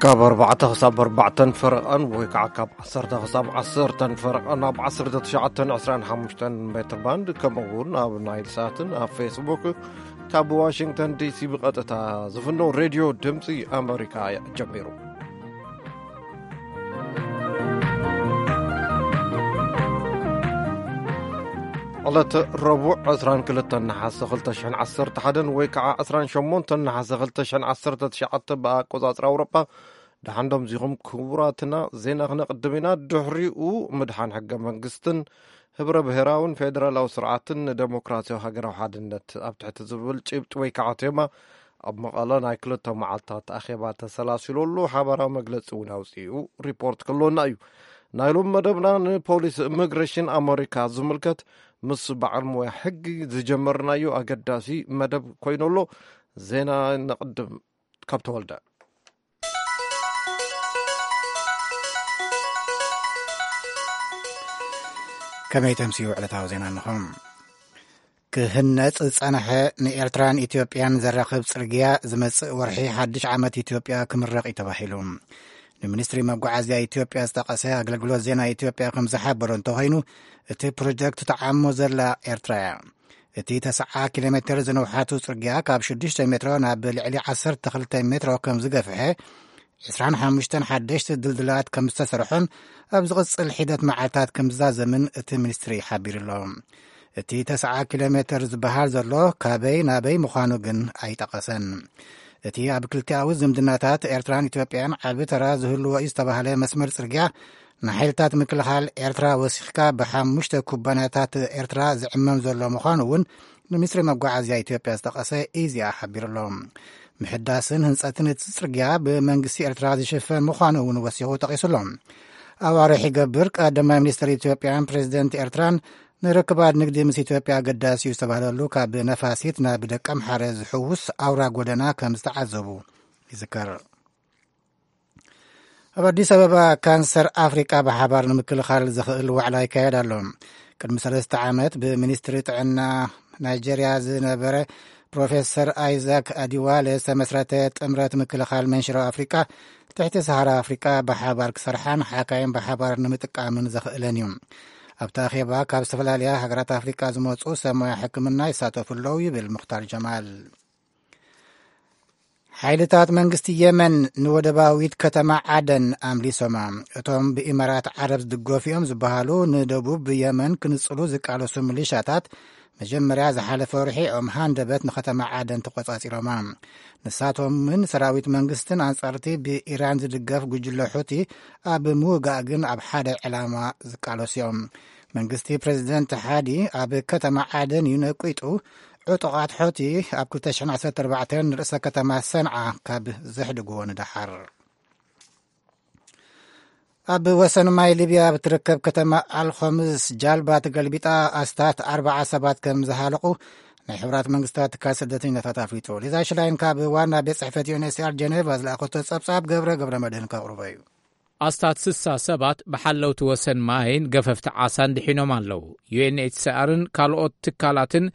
ካብ ኣርባዕተ ክሳብ ኣርባዕተን ፈረቓን ወይ ከዓ ካብ ዓሰርተ ክሳብ ዓሰርተን ፈረቓን ኣብ ዓሰርተ ትሽዓተን ዕስራን ሓሙሽተን ሜትር ባንድ፣ ከምኡ እውን ኣብ ናይል ሳትን ኣብ ፌስቡክ ካብ ዋሽንግተን ዲሲ ብቐጥታ ዝፍኖ ሬድዮ ድምፂ ኣመሪካ ጀሚሩ። ዕለት ረቡዕ ዕስራን ክልተን ነሓሰ ክልተ ሽሕን ዓሰርተ ሓደን ወይ ከዓ ዕስራን ሸሞንተን ነሓሰ ክልተ ሽሕን ዓሰርተ ትሽዓተ ብኣቆፃፅራ ኣውሮጳ። ደሓን ዶ ምዚኹም ክቡራትና። ዜና ክነቕድም ኢና። ድሕሪኡ ምድሓን ሕገ መንግስትን ህብረ ብሔራውን ፌደራላዊ ስርዓትን ንደሞክራሲያዊ ሃገራዊ ሓድነት ኣብ ትሕቲ ዝብል ጭብጢ ወይ ከዓ ቴማ ኣብ መቐለ ናይ ክልተ መዓልታት ኣኼባ ተሰላሲሉ ኣሎ። ሓባራዊ መግለፂ እውን ኣውፂኡ ሪፖርት ክህልወና እዩ። ናይ ሎም መደብና ንፖሊስ ኢሚግሬሽን ኣመሪካ ዝምልከት ምስ በዓል ሞያ ሕጊ ዝጀመርናዮ ኣገዳሲ መደብ ኮይኑ ኣሎ። ዜና ነቕድም ካብ ተወልደ። ከመይ ተምስዩ ዕለታዊ ዜና እንኹም። ክህነጽ ዝጸንሐ ንኤርትራን ኢትዮጵያን ዘራኽብ ጽርግያ ዝመጽእ ወርሒ ሓድሽ ዓመት ኢትዮጵያ ክምረቕ እዩ ተባሂሉ። ንሚኒስትሪ መጓዓዝያ ኢትዮጵያ ዝጠቐሰ ኣገልግሎት ዜና ኢትዮጵያ ከም ዝሓበሮ እንተኾይኑ፣ እቲ ፕሮጀክት ተዓሞ ዘላ ኤርትራ እያ። እቲ ተስዓ ኪሎ ሜትር ዝንውሓቱ ጽርግያ ካብ ሽዱሽተ ሜትሮ ናብ ልዕሊ ዓሰርተ ክልተ ሜትሮ ከም ዝገፍሐ፣ ዕስራን ሓሙሽተን ሓደሽቲ ድልድላት ከም ዝተሰርሖን ኣብ ዝቕጽል ሒደት መዓልታት ከም ዝዛዘምን እቲ ሚኒስትሪ ሓቢሩ ኣሎ። እቲ ተስዓ ኪሎ ሜትር ዝበሃል ዘሎ ካበይ ናበይ ምዃኑ ግን ኣይጠቐሰን። እቲ ኣብ ክልቲኣዊ ዝምድናታት ኤርትራን ኢትዮጵያን ዓቢ ተራ ዝህልዎ እዩ ዝተባህለ መስመር ጽርግያ፣ ንሓይልታት ምክልኻል ኤርትራ ወሲኽካ ብሓሙሽተ ኩባንያታት ኤርትራ ዝዕመም ዘሎ ምዃኑ እውን ንሚኒስትሪ መጓዓዝያ ኢትዮጵያ ዝጠቐሰ ኢዜኣ ሓቢሩ ኣሎ። ምሕዳስን ህንጸትን እቲ ጽርግያ ብመንግስቲ ኤርትራ ዝሽፈን ምዃኑ እውን ወሲኹ ጠቒሱ ኣሎ። ኣዋርሕ ይገብር ቀዳማይ ሚኒስትር ኢትዮጵያን ፕሬዚደንት ኤርትራን ንርክባት ንግዲ ምስ ኢትዮጵያ ኣገዳሲ እዩ ዝተባህለሉ ካብ ነፋሲት ናብ ደቀምሓረ ዝሕውስ ኣውራ ጎደና ከም ዝተዓዘቡ ይዝከር። ኣብ ኣዲስ ኣበባ ካንሰር ኣፍሪቃ ብሓባር ንምክልኻል ዘኽእል ዋዕላ ይካየድ ኣሎ። ቅድሚ ሰለስተ ዓመት ብሚኒስትሪ ጥዕና ናይጀርያ ዝነበረ ፕሮፌሰር ኣይዛክ ኣዲዋለ ዝተመስረተ ጥምረት ምክልኻል መንሽሮ ኣፍሪቃ ትሕቲ ሰሃራ ኣፍሪቃ ብሓባር ክሰርሓን ሓካይም ብሓባር ንምጥቃምን ዘኽእለን እዩ። ኣብቲ ኣኼባ ካብ ዝተፈላለያ ሃገራት ኣፍሪቃ ዝመፁ ሰብ ሞያ ሕክምና ይሳተፉ ኣለዉ ይብል ሙኽታር ጀማል። ሓይልታት መንግስቲ የመን ንወደባዊት ከተማ ዓደን ኣምሊሶማ። እቶም ብኢማራት ዓረብ ዝድገፉ እዮም ዝበሃሉ ንደቡብ የመን ክንጽሉ ዝቃለሱ ሚሊሻታት መጀመርያ ዝሓለፈ ወርሒ ኦም ሃንደበት ንከተማ ዓደን ተቆጻጺሮማ። ንሳቶምን ሰራዊት መንግስትን ኣንጻርቲ ብኢራን ዝድገፍ ጉጅለ ሑቲ ኣብ ምውጋእ ግን ኣብ ሓደ ዕላማ ዝቃለሱ እዮም። መንግስቲ ፕሬዚደንት ሓዲ ኣብ ከተማ ዓደን እዩ ነቂጡ። ዕጡቓት ሑቲ ኣብ ክልተ ሽሕን ዓሰርተ ኣርባዕተን ንርእሰ ከተማ ሰንዓ ካብ ዘሕድግዎ ንደሓር። ኣብ ወሰን ማይ ሊብያ ኣብ ትርከብ ከተማ ኣልኾምስ ጃልባ ተገልቢጣ ኣስታት ኣርባዓ ሰባት ከም ዝሃለቑ ናይ ሕብራት መንግስታት ትካል ስደተኛታት ኣፍሊጡ። ሊዛ ሽላይን ካብ ዋና ቤት ጽሕፈት ዩ ኤን ኤች ሲ ኣር ጀኔቫ ዝለኣኸቶ ጸብጻብ ገብረ ገብረ መድህን ከቕርቦ እዩ። ኣስታት ስሳ ሰባት ብሓለውቲ ወሰን ማይን ገፈፍቲ ዓሳን ድሒኖም ኣለዉ። ዩ ኤን ኤች ሲ ኣርን ካልኦት ትካላትን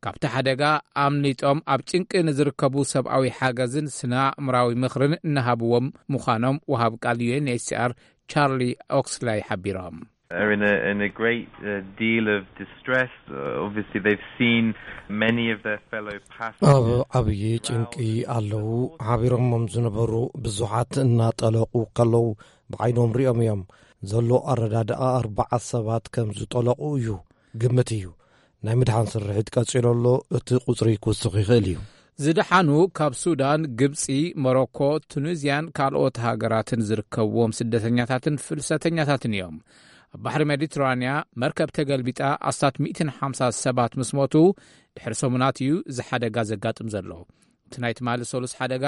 ካብቲ ሓደጋ ኣምሊጦም ኣብ ጭንቂ ንዝርከቡ ሰብኣዊ ሓገዝን ስነ ኣእምራዊ ምኽርን እናሃብዎም ምዃኖም ወሃብ ቃል ዩ ኤን ኤች ሲ ኣር ቻርሊ ኦክስላይ ሓቢሮም። Are in a, in a great uh, deal of distress. Uh, obviously, they've seen many of their fellow ኣብ passengers. ዓብዪ ጭንቂ ኣለዉ። ሓቢሮሞም ዝነበሩ ብዙሓት እናጠለቑ ከለዉ ብዓይኖም ሪኦም እዮም። ዘሎ ኣረዳድኣ ኣርባዓ ሰባት ከም ዝጠለቑ እዩ ግምት እዩ። ናይ ምድሓን ስርሒት ቀጺሉ ኣሎ። እቲ ቁጽሪ ክውስኽ ይኽእል እዩ። ዝደሓኑ ካብ ሱዳን፣ ግብጺ፣ ሞሮኮ፣ ቱኒዝያን ካልኦት ሃገራትን ዝርከብዎም ስደተኛታትን ፍልሰተኛታትን እዮም። ኣብ ባሕሪ ሜዲትራንያ መርከብ ተገልቢጣ ኣስታት ሚእትን ሓምሳ ሰባት ምስ ሞቱ፣ ድሕሪ ሰሙናት እዩ እዚ ሓደጋ ዘጋጥም ዘሎ። እቲ ናይ ትማሊ ሰሉስ ሓደጋ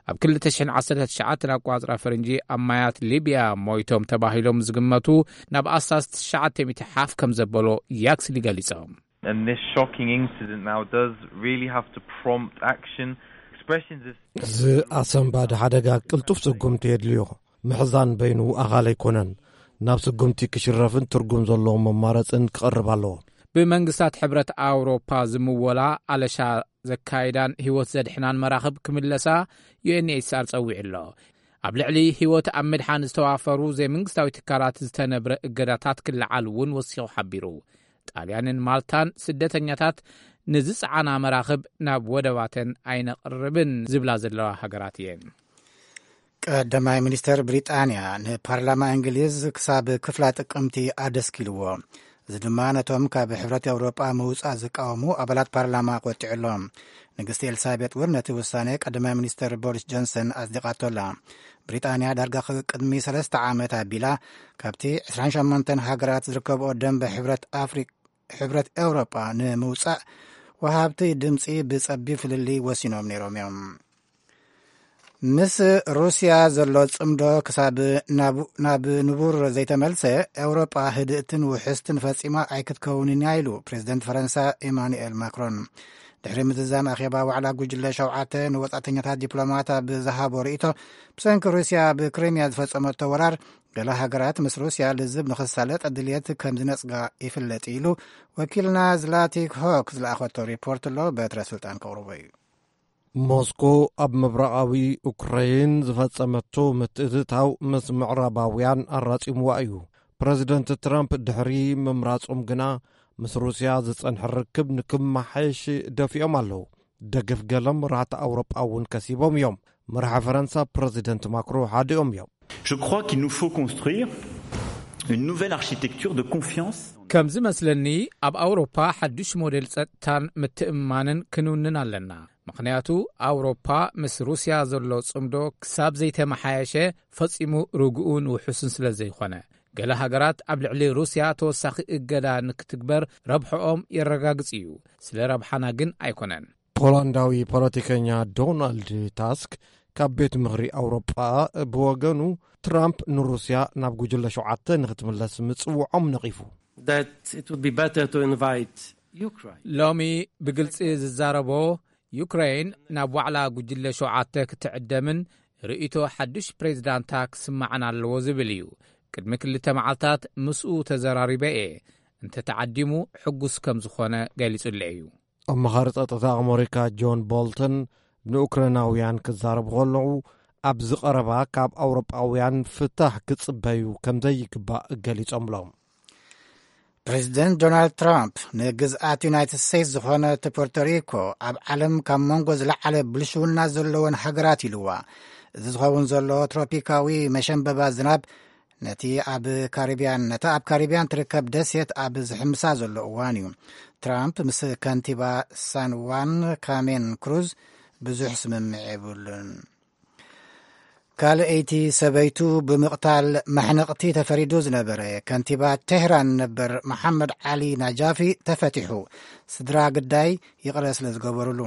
ኣብ ክልተ ሽሕን ዓሰርተ ትሽዓተን ኣቋጽራ ፈረንጂ ኣብ ማያት ሊብያ ሞይቶም ተባሂሎም ዝግመቱ ናብ ኣስታት ትሽዓተ ሚእቲ ሓፍ ከም ዘበሎ ያክስሊ ገሊጾም። And this shocking incident now does really have to prompt action. Expressions of እዚ ኣሰንባዲ ሓደጋ ቅልጡፍ ስጉምቲ የድልዮ። ምሕዛን በይኑ ኣኻል ኣይኮነን። ናብ ስጉምቲ ክሽረፍን ትርጉም ዘለዎም መማረጽን ክቐርብ ኣለዎ። ብመንግስታት ሕብረት ኣውሮፓ ዝምወላ ኣለሻ ዘካይዳን ህይወት ዘድሕናን መራኽብ ክምለሳ ዩ ኤን ኤች ሲ ኣር ጸዊዑ ኣሎ። ኣብ ልዕሊ ህይወት ኣብ ምድሓን ዝተዋፈሩ ዘይመንግስታዊ ትካላት ዝተነብረ እገዳታት ክለዓል እውን ወሲኹ ሓቢሩ። ጣልያንን ማልታን ስደተኛታት ንዝጸዓና መራኽብ ናብ ወደባተን ኣይነቕርብን ዝብላ ዘለዋ ሃገራት እየን። ቀዳማይ ሚኒስተር ብሪጣንያ ንፓርላማ እንግሊዝ ክሳብ ክፍላ ጥቅምቲ ኣደስኪልዎ። እዚ ድማ ነቶም ካብ ሕብረት ኤውሮጳ ምውጻእ ዝቃወሙ ኣባላት ፓርላማ ቆጢዑሎም። ንግስቲ ኤልሳቤጥ እውን ነቲ ውሳኔ ቀዳማይ ሚኒስተር ቦሪስ ጆንሰን ኣጽዲቓቶላ። ብሪጣንያ ዳርጋ ቅድሚ ሰለስተ ዓመት ኣቢላ ካብቲ ዕስራን ሸሞንተን ሃገራት ዝርከብኦ ደንበ ሕብረት ኣፍሪ-፣ ሕብረት ኤውሮጳ ንምውጻእ ወሃብቲ ድምጺ ብጸቢብ ፍልልይ ወሲኖም ነይሮም እዮም። ምስ ሩስያ ዘሎ ጽምዶ ክሳብ ናብ፣ ናብ ንቡር ዘይተመልሰ፣ ኤውሮጳ ህድእትን ውሕስትን ፈጺማ ኣይክትከውንን እያ ኢሉ ፕሬዚደንት ፈረንሳ ኤማኑኤል ማክሮን። ድሕሪ ምዝዛም ኣኼባ ዋዕላ ጉጅለ ሸውዓተ ንወጻእተኛታት ዲፕሎማት ኣብ ዝሃቦ ርእይቶ፣ ብሰንኪ ሩስያ ኣብ ክሪምያ ዝፈጸመቶ ወራር፣ ገለ ሃገራት ምስ ሩስያ ልዝብ ንኽሳለጥ ድልየት ከም ዝነጽጋ ይፍለጥ ኢሉ ወኪልና ዝላቲክ ሆክ ዝለኣኸቶ ሪፖርት ኣሎ። በትረ ስልጣን ከቕርቦ እዩ። ሞስኮ ኣብ ምብራቓዊ ኡክራይን ዝፈጸመቶ ምትእትታው ምስ ምዕራባውያን ኣራጺምዋ እዩ። ፕረዚደንት ትራምፕ ድሕሪ ምምራጾም ግና ምስ ሩስያ ዝጸንሐ ርክብ ንክመሓየሽ ደፊኦም ኣለዉ። ደገፍ ገለ መራሕቲ ኣውሮጳ እውን ከሲቦም እዮም። መራሒ ፈረንሳ ፕረዚደንት ማክሮ ሓዲኦም እዮም። Je crois qu'il nous faut construire une nouvelle architecture de confiance. ከም ዝመስለኒ፣ ኣብ ኣውሮፓ ሓድሽ ሞዴል ጸጥታን ምትእምማንን ክንውንን ኣለና። ምኽንያቱ፣ ኣውሮፓ ምስ ሩስያ ዘሎ ጽምዶ ክሳብ ዘይተመሓየሸ ፈጺሙ ርጉኡን ውሑስን ስለ ዘይኾነ። ገለ ሃገራት ኣብ ልዕሊ ሩስያ ተወሳኺ እገዳ ንክትግበር ረብሕኦም የረጋግጽ እዩ፣ ስለ ረብሓና ግን ኣይኮነን። ፖላንዳዊ ፖለቲከኛ ዶናልድ ታስክ ካብ ቤት ምኽሪ ኣውሮጳ ብወገኑ፣ ትራምፕ ንሩስያ ናብ ጉጅለ ሸውዓተ ንክትምለስ ምጽውዖም ነቒፉ። That it would be better to invite Ukraine. ሎሚ ብግልጺ ዝዛረቦ፣ ዩክሬን ናብ ዋዕላ ጉጅለ ሸውዓተ ክትዕደምን ርእይቶ ሓድሽ ፕሬዚዳንታ ክስማዕን ኣለዎ ዝብል እዩ። ቅድሚ ክልተ መዓልታት ምስኡ ተዘራሪበ እየ። እንተተዓዲሙ ሕጉስ ከም ዝኾነ ገሊጹለይ እዩ። ኣማኻሪ ጸጥታ ኣመሪካ ጆን ቦልተን ንኡክራይናውያን ክዛረቡ ከለዉ፣ ኣብዚ ቀረባ ካብ ኣውሮጳውያን ፍታሕ ክጽበዩ ከም ዘይግባእ ገሊጾምሎም። ፕሬዚደንት ዶናልድ ትራምፕ ንግዝኣት ዩናይትድ ስቴትስ ዝኾነት ፖርቶሪኮ ኣብ ዓለም ካብ መንጎ ዝለዓለ ብልሽውና ዘለወን ሃገራት ኢልዋ። እዚ ዝኸውን ዘሎ ትሮፒካዊ መሸንበባ ዝናብ ነቲ ኣብ ካሪብያን፣ ነታ ኣብ ካሪብያን ትርከብ ደሴት ኣብ ዝሕምሳ ዘሎ እዋን እዩ። ትራምፕ ምስ ከንቲባ ሳን ዋን ካሜን ክሩዝ ብዙሕ ስምምዕ የብሉን። ካልኣይቲ ሰበይቱ ብምቕታል ማሕነቕቲ ተፈሪዱ ዝነበረ ከንቲባ ቴህራን ነበር መሓመድ ዓሊ ናጃፊ ተፈቲሑ። ስድራ ግዳይ ይቕረ ስለ ዝገበሩሉ።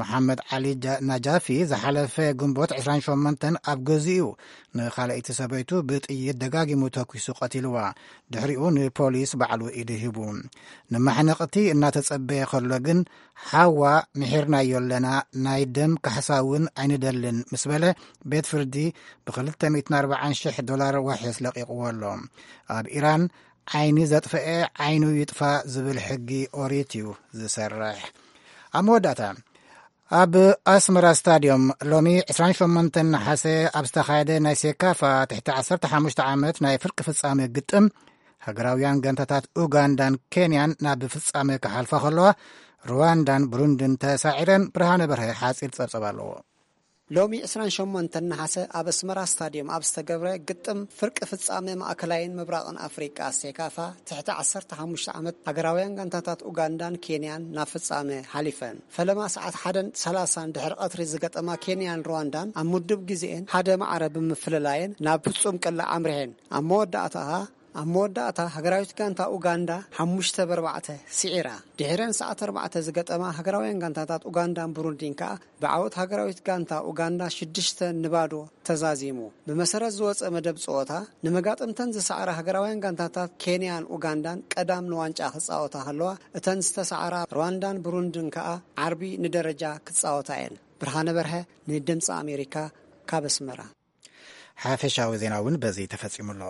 መሓመድ ዓሊ ጃ-፣ ናጃፊ ዝሓለፈ ግንቦት ዕስራን ሸሞንተን ኣብ ገዝኡ ንኻልኣይቲ ሰበይቱ ብጥይት ደጋጊሙ ተኲሱ ቀቲልዋ። ድሕሪኡ ንፖሊስ ባዕሉ ኢዱ ሂቡ። ንማሕነቕቲ እናተጸበየ ከሎ ግን፣ "ሓዋ ምሒርናዮ ኣለና፣ ናይ ደም ካሕሳ እውን ኣይንደልን" ምስ በለ፣ ቤት ፍርዲ ብ ክልተ ሚእትን ኣርባዓን ሽሕ ዶላር ዋሕስ ለቒቕዎ ኣሎ። ኣብ ኢራን ዓይኒ ዘጥፈኤ ዓይኑ ይጥፋእ ዝብል ሕጊ ኦሪት እዩ ዝሰርሕ። ኣብ መወዳእታ፣ ኣብ ኣስመራ ስታድዮም ሎሚ ዕስራን ሸሞንተን ነሓሰ ኣብ ዝተኻየደ ናይ ሴካፋ ትሕቲ ዓሰርተ ሓሙሽተ ዓመት ናይ ፍርቂ ፍጻመ ግጥም፣ ሃገራውያን ጋንታታት ኡጋንዳን ኬንያን ናብ ፍጻመ ክሓልፋ ከለዋ፣ ሩዋንዳን ብሩንድን ተሳዒረን። ብርሃነ በርሀ ሓጺር ጸብጸብ ኣለዎ። ሎሚ ዕስራን ሸሞንተን ነሓሰ ኣብ ኣስመራ ስታድዮም ኣብ ዝተገብረ ግጥም ፍርቂ ፍጻመ ማእከላይን ምብራቕን ኣፍሪቃ ሴካፋ ትሕቲ ዓሰርተ ሓሙሽተ ዓመት ሃገራውያን ጋንታታት ኡጋንዳን ኬንያን ናብ ፍጻመ ሓሊፈን። ፈለማ ሰዓት ሓደን ሰላሳን ድሕሪ ቀትሪ ዝገጠማ ኬንያን ሩዋንዳን ኣብ ምዱብ ግዜኤን ሓደ ማዕረ ብምፍልላየን ናብ ፍጹም ቅላዕ ኣምሪሐን። ኣብ መወዳእታ ኣብ መወዳእታ፣ ሃገራዊት ጋንታ ኡጋንዳ ሓሙሽተ ብ ኣርባዕተ ስዒራ። ድሒረን ሰዓት ኣርባዕተ ዝገጠማ ሃገራውያን ጋንታታት ኡጋንዳን ብሩንዲን ከኣ ብዓወት ሃገራዊት ጋንታ ኡጋንዳ ሽዱሽተ ንባዶ ተዛዚሙ። ብመሰረት ዝወጸ መደብ ጸወታ፣ ንመጋጥምተን ዝሰዓራ ሃገራውያን ጋንታታት ኬንያን ኡጋንዳን ቀዳም ንዋንጫ ክጻወታ ከለዋ፣ እተን ዝተሰዓራ ሩዋንዳን ብሩንድን ከኣ ዓርቢ ንደረጃ ክጻወታ እየን። ብርሃነ በርሀ፣ ንድምጺ ኣሜሪካ፣ ካብ ኣስመራ። ሓፈሻዊ ዜና እውን በዚ ተፈጺሙ ኣሎ።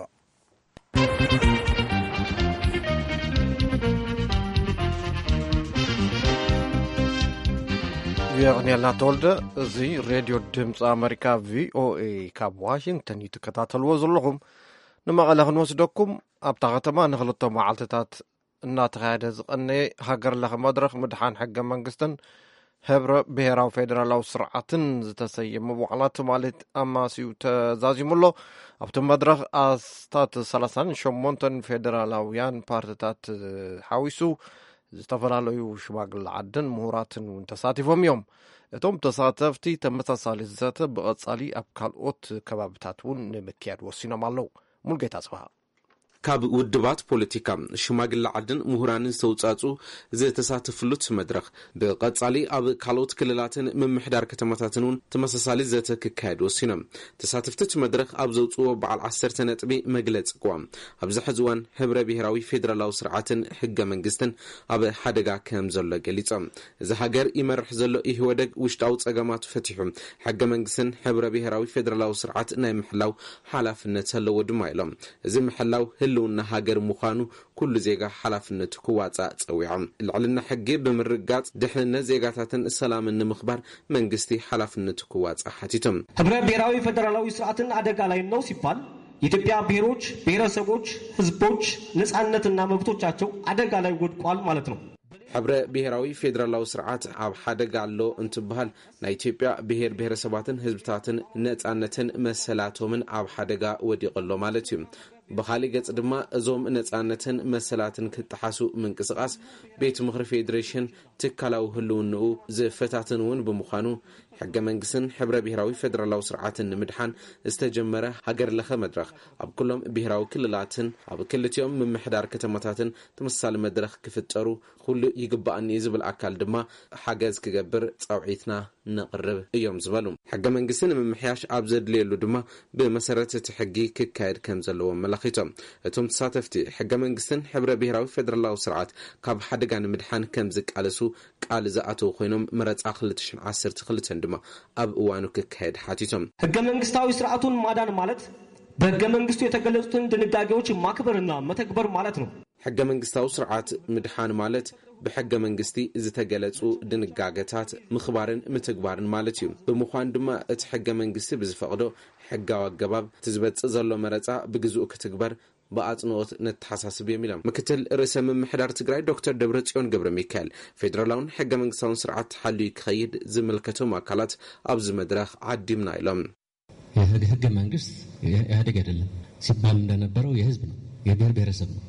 የቕንየልና ተወልደ። እዚ ሬድዮ ድምፂ ኣመሪካ፣ ቪኦኤ፣ ካብ ዋሽንግተን እዩ ትከታተልዎ ዘለኹም። ንመቐለ ክንወስደኩም፣ ኣብታ ከተማ ንክልተ መዓልትታት እናተኻየደ ዝቐነየ ሃገር ለኸ መድረኽ ምድሓን ሕገ መንግስትን ህብረ ብሔራዊ ፌደራላዊ ስርዓትን ዝተሰየመ ዋዕላ ትማሊ ኣማስዩ ተዛዚሙ ኣሎ። ኣብቲ መድረኽ ኣስታት ሰላሳን ሸሞንተን ፌደራላውያን ፓርትታት ሓዊሱ ዝተፈላለዩ ሽማግለ ዓድን ምሁራትን እውን ተሳቲፎም እዮም። እቶም ተሳተፍቲ ተመሳሳሊ ዘተ ብቐጻሊ ኣብ ካልኦት ከባብታት እውን ንምክያድ ወሲኖም ኣለዉ። ሙልጌታ ጽባሃ። ካብ ውድባት ፖለቲካ፣ ሽማግለ ዓድን ምሁራንን ዝተውጻጹ ዝተሳተፍሉ እቲ መድረኽ ብቐጻሊ ኣብ ካልኦት ክልላትን ምምሕዳር ከተማታትን እውን ተመሳሳሊ ዘተ ክካየድ ወሲኖም። ተሳተፍቲ እቲ መድረኽ ኣብ ዘውጽዎ በዓል ዓሰርተ ነጥቢ መግለጺ ቅዋም፣ ኣብዚ ሕዚ እዋን ህብረ ብሔራዊ ፌደራላዊ ስርዓትን ሕገ መንግስትን ኣብ ሓደጋ ከም ዘሎ ገሊጾም። እዚ ሃገር ይመርሕ ዘሎ ኢህወደግ ውሽጣዊ ጸገማቱ ፈቲሑ፣ ሕገ መንግስትን ህብረ ብሔራዊ ፌደራላዊ ስርዓት ናይ ምሕላው ሓላፍነት ኣለዎ ድማ ኢሎም። እዚ ምሕላው ህልውና ሃገር ምዃኑ ኩሉ ዜጋ ሓላፍነቱ ክዋጻእ ጸዊዖም። ልዕልና ሕጊ ብምርጋጽ፣ ድሕንነት ዜጋታትን ሰላምን ንምኽባር መንግስቲ ሓላፍነቱ ክዋጻእ ሓቲቶም። ህብረ ብሔራዊ ፌደራላዊ ስርዓትን አደጋ ላይ ነው ሲባል የኢትዮጵያ ብሔሮች፣ ብሔረሰቦች፣ ህዝቦች ነጻነትና መብቶቻቸው አደጋ ላይ ወድቋል ማለት ነው። ሕብረ ብሔራዊ ፌደራላዊ ስርዓት ኣብ ሓደጋ ኣሎ እንትበሃል፣ ናይ ኢትዮጵያ ብሔር ብሔረሰባትን ህዝብታትን ነጻነትን መሰላቶምን ኣብ ሓደጋ ወዲቑ ኣሎ ማለት እዩ። ብኻሊእ ገጽ ድማ፣ እዞም ነጻነትን መሰላትን ክጠሓሱ ምንቅስቓስ ቤት ምኽሪ ፌዴሬሽን ትካላዊ ህልውንኡ ዝፈታትን እውን ብምዃኑ፣ ሕገ መንግስትን ሕብረ ብሔራዊ ፌደራላዊ ስርዓትን ንምድሓን ዝተጀመረ ሃገር ለኸ መድረኽ፣ ኣብ ኩሎም ብሔራዊ ክልላትን ኣብ ክልቲኦም ምምሕዳር ከተማታትን ተመሳሳሊ መድረኽ ክፍጠሩ ኩሉ ይግባኣኒ ዝብል ኣካል ድማ ሓገዝ ክገብር ጻውዒትና ነቕርብ እዮም ዝበሉ። ሕገ መንግስቲ ንምምሕያሽ ኣብ ዘድልየሉ ድማ ብመሰረት እቲ ሕጊ ክካየድ ከም ዘለዎ ኣመላኺቶም። እቶም ተሳተፍቲ፣ ሕገ መንግስትን ሕብረ ብሔራዊ ፌደራላዊ ስርዓት ካብ ሓደጋ ንምድሓን ከም ዝቃለሱ ቃል ዝኣተዉ ኮይኖም፣ መረጻ ክልተ ሽሕን ዓሰርተ ክልተን ድማ ኣብ እዋኑ ክካየድ ሓቲቶም። ህገ መንግስታዊ ስርዓቱን ማዳን ማለት በህገ መንግስቱ የተገለጹትን ድንጋጌዎች ማክበርና መተግበር ማለት ነው። ሕገ መንግስታዊ ስርዓት ምድሓን ማለት ብሕገ መንግስቲ ዝተገለጹ ድንጋገታት ምኽባርን ምትግባርን ማለት እዩ። ብምዃን ድማ፣ እቲ ሕገ መንግስቲ ብዝፈቕዶ ሕጋዊ ኣገባብ እቲ ዝበጽእ ዘሎ መረጻ ብግዝኡ ክትግበር ብኣጽንኦት ነተሓሳስብ እዮም ኢሎም። ምክትል ርእሰ ምምሕዳር ትግራይ ዶክተር ደብረጽዮን ገብረ ሚካኤል፣ ፌደራላውን ሕገ መንግስታውን ስርዓት ተሓልዩ ክኸይድ ዝምልከቶም ኣካላት ኣብዚ መድረኽ ዓዲምና ኢሎም። የህግ ህገ መንግስት ኢህአዴግ አይደለም፣ ሲባል እንደነበረው የህዝብ ነው፣ የብሔር ብሔረሰብ ነው።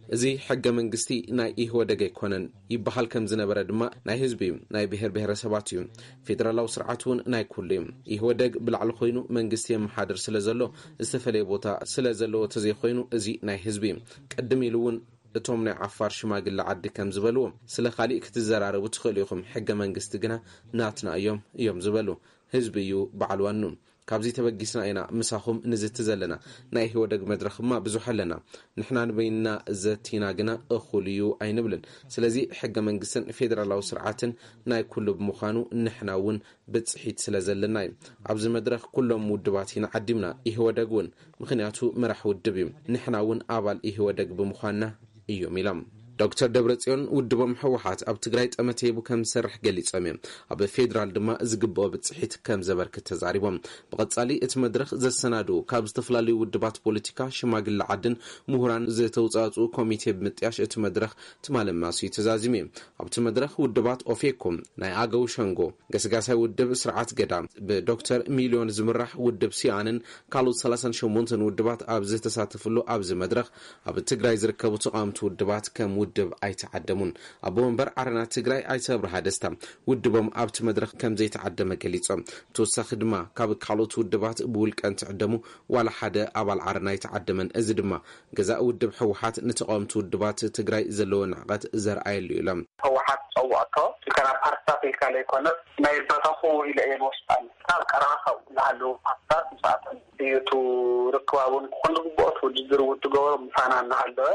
እዚ ሕገ መንግስቲ ናይ ኢህወደግ ኣይኮነን ይበሃል ከም ዝነበረ ድማ፣ ናይ ህዝቢ እዩ፣ ናይ ብሔር ብሔረሰባት እዩ። ፌደራላዊ ስርዓት እውን ናይ ኩሉ እዩ። ኢህወደግ ብላዕሊ ኮይኑ መንግስቲ የመሓድር ስለ ዘሎ፣ ዝተፈለየ ቦታ ስለ ዘለዎ ተዘይኮይኑ፣ እዚ ናይ ህዝቢ እዩ። ቅድም ኢሉ እውን እቶም ናይ ዓፋር ሽማግለ ዓዲ ከም ዝበልዎ፣ ስለ ካሊእ ክትዘራረቡ ትኽእሉ ኢኹም፣ ሕገ መንግስቲ ግና ናትና እዮም እዮም ዝበሉ። ህዝቢ እዩ በዓል ዋኑ። ካብዚ ተበጊስና ኢና ምሳኹም ንዝቲ ዘለና። ናይ ኢህወደግ መድረኽማ ብዙሕ ኣለና። ንሕና ንበይንና ዘቲና ግና እኹል እዩ ኣይንብልን። ስለዚ ሕገ መንግስትን ፌደራላዊ ስርዓትን ናይ ኩሉ ብምዃኑ፣ ንሕና እውን ብፅሒት ስለ ዘለና እዩ። ኣብዚ መድረኽ ኩሎም ውድባት ኢና ዓዲምና፣ ኢህወደግ እውን። ምኽንያቱ መራሕ ውድብ እዩ። ንሕና እውን ኣባል ኢህወደግ ብምዃንና እዮም ኢሎም። ዶክተር ደብረጽዮን፣ ውድቦም ህወሓት ኣብ ትግራይ ጠመተ ሂቡ ከም ዝሰርሕ ገሊጾም እዮም። ኣብ ፌዴራል ድማ ዝግብኦ ብጽሒት ከም ዘበርክት ተዛሪቦም። ብቐጻሊ እቲ መድረኽ ዘሰናድኡ ካብ ዝተፈላለዩ ውድባት ፖለቲካ፣ ሽማግለ ዓድን ምሁራን ዝተውጻጽኡ ኮሚቴ ብምጥያሽ፣ እቲ መድረኽ ትማሊ ኣማስዩ ተዛዚሙ እዩ። ኣብቲ መድረኽ ውድባት ኦፌኮ፣ ናይ ኣገው ሸንጎ፣ ገስጋሳይ ውድብ ስርዓት ገዳ፣ ብዶክተር ሚልዮን ዝምራሕ ውድብ ሲኣንን ካልኦት ሰላሳን ሸሞንተን ውድባት ኣብ ዝተሳተፍሉ ኣብዚ መድረኽ፣ ኣብ ትግራይ ዝርከቡ ተቓወምቲ ውድባት ከም ውድብ ኣይተዓደሙን። ኣቦ መንበር ዓረና ትግራይ ኣይተ ኣብርሃ ደስታ፣ ውድቦም ኣብቲ መድረኽ ከም ዘይተዓደመ ገሊጾም። ብተወሳኺ ድማ፣ ካብ ካልኦት ውድባት ብውልቀ እንትዕደሙ ዋላ ሓደ ኣባል ዓረና ኣይተዓደመን። እዚ ድማ፣ ገዛእ ውድብ ህወሓት ንተቓወምቲ ውድባት ትግራይ ዘለዎ ንዕቐት ዘርኣየሉ እዩ ኢሎም። ህወሓት ዝፀውዖቶ፣ እተን ፓርትታት ኢልካ ዘይኮነስ፣ ናይ በተኹ ኢለ እየ ዝወስዳ። ካብ ቀረባ ካብኡ ዝሃለዉ ፓርትታት ምስኣቶም እዩ እቲ ርክባውን ክኾን ዝግብኦ እቲ ውድድር እውን ትገበሮ ምሳና እናሃለወ፣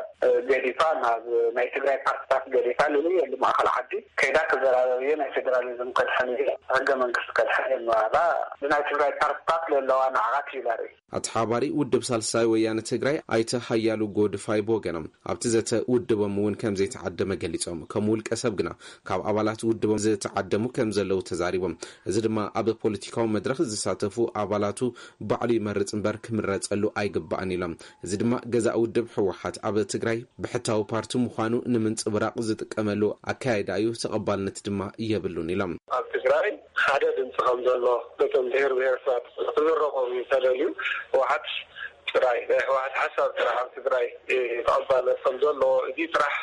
ገዲፋ ናብ ናይ ትግራይ ፓርትታት ገዲፋ፣ ልልየሉ ማእኸል ዓዲ ከይዳ ክዘራረብ እየ፣ ናይ ፌደራሊዝም ከድሕን እየ፣ ሕገ መንግስቲ ከድሕን እየ እናበላ፣ ብናይ ትግራይ ፓርትታት ለለዋ ንዕቐት እዩ ዘርኢ። ኣተሓባሪ ውድብ ሳልሳይ ወያነ ትግራይ ኣይተ ሃያሉ ጎድፋይ ብወገኖም፣ ኣብቲ ዘተ ውድቦም እውን ከም ዘይተዓደመ ገሊጾም። ከም ውልቀ ሰብ ግና፣ ካብ ኣባላት ውድቦም ዝተዓደሙ ከም ዘለዉ ተዛሪቦም። እዚ ድማ ኣብ ፖለቲካዊ መድረኽ ዝሳተፉ ኣባላቱ ባዕሉ ይመርጽ እምበር ክምረጸሉ ኣይግባእን ኢሎም። እዚ ድማ ገዛእ ውድብ ህወሓት ኣብ ትግራይ ብሕታዊ ፓርቲ ምዃኑ ንምንጽብራቕ ዝጥቀመሉ ኣካያይዳ እዩ፣ ተቐባልነት ድማ የብሉን ኢሎም። ኣብ ትግራይ ሓደ ድምፂ ከም ዘሎ ነቶም ብሔር ብሔረሰባት ክዝረቦም እዩ ተደልዩ። ህወሓት ጥራይ ናይ ህወሓት ሓሳብ ጥራሕ ኣብ ትግራይ ተቐባልነት ከም ዘሎ፣ እዚ ጥራሕ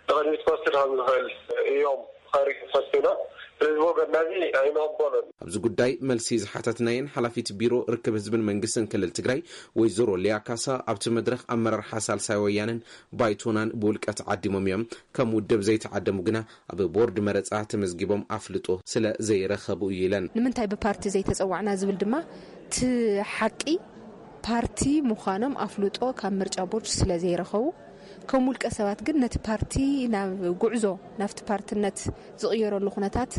ንቕድሚት ክወስድ ከም ዝኽእል እዮም ከርኢ ፈቲኖም። ስለዚ ወገንና እዚ ኣይንቕበሎን። ኣብዚ ጉዳይ መልሲ ዝሓተትናየን ሓላፊት ቢሮ ርክብ ህዝብን መንግስትን ክልል ትግራይ ወይዘሮ ሊያ ካሳ ኣብቲ መድረኽ ኣመራርሓ ሳልሳይ ወያነን ባይቶናን ብውልቀ ተዓዲሞም እዮም። ከም ውድብ ዘይተዓደሙ ግና ኣብ ቦርድ መረፃ ተመዝጊቦም ኣፍልጦ ስለ ዘይረኸቡ እዩ ኢለን። ንምንታይ ብፓርቲ ዘይተፀዋዕና ዝብል ድማ እቲ ሓቂ ፓርቲ ምዃኖም ኣፍልጦ ካብ ምርጫ ቦርድ ስለ ዘይረኸቡ፣ ከም ውልቀ ሰባት ግን ነቲ ፓርቲ ናብ ጉዕዞ ናብቲ ፓርትነት ዝቕየረሉ ኩነታት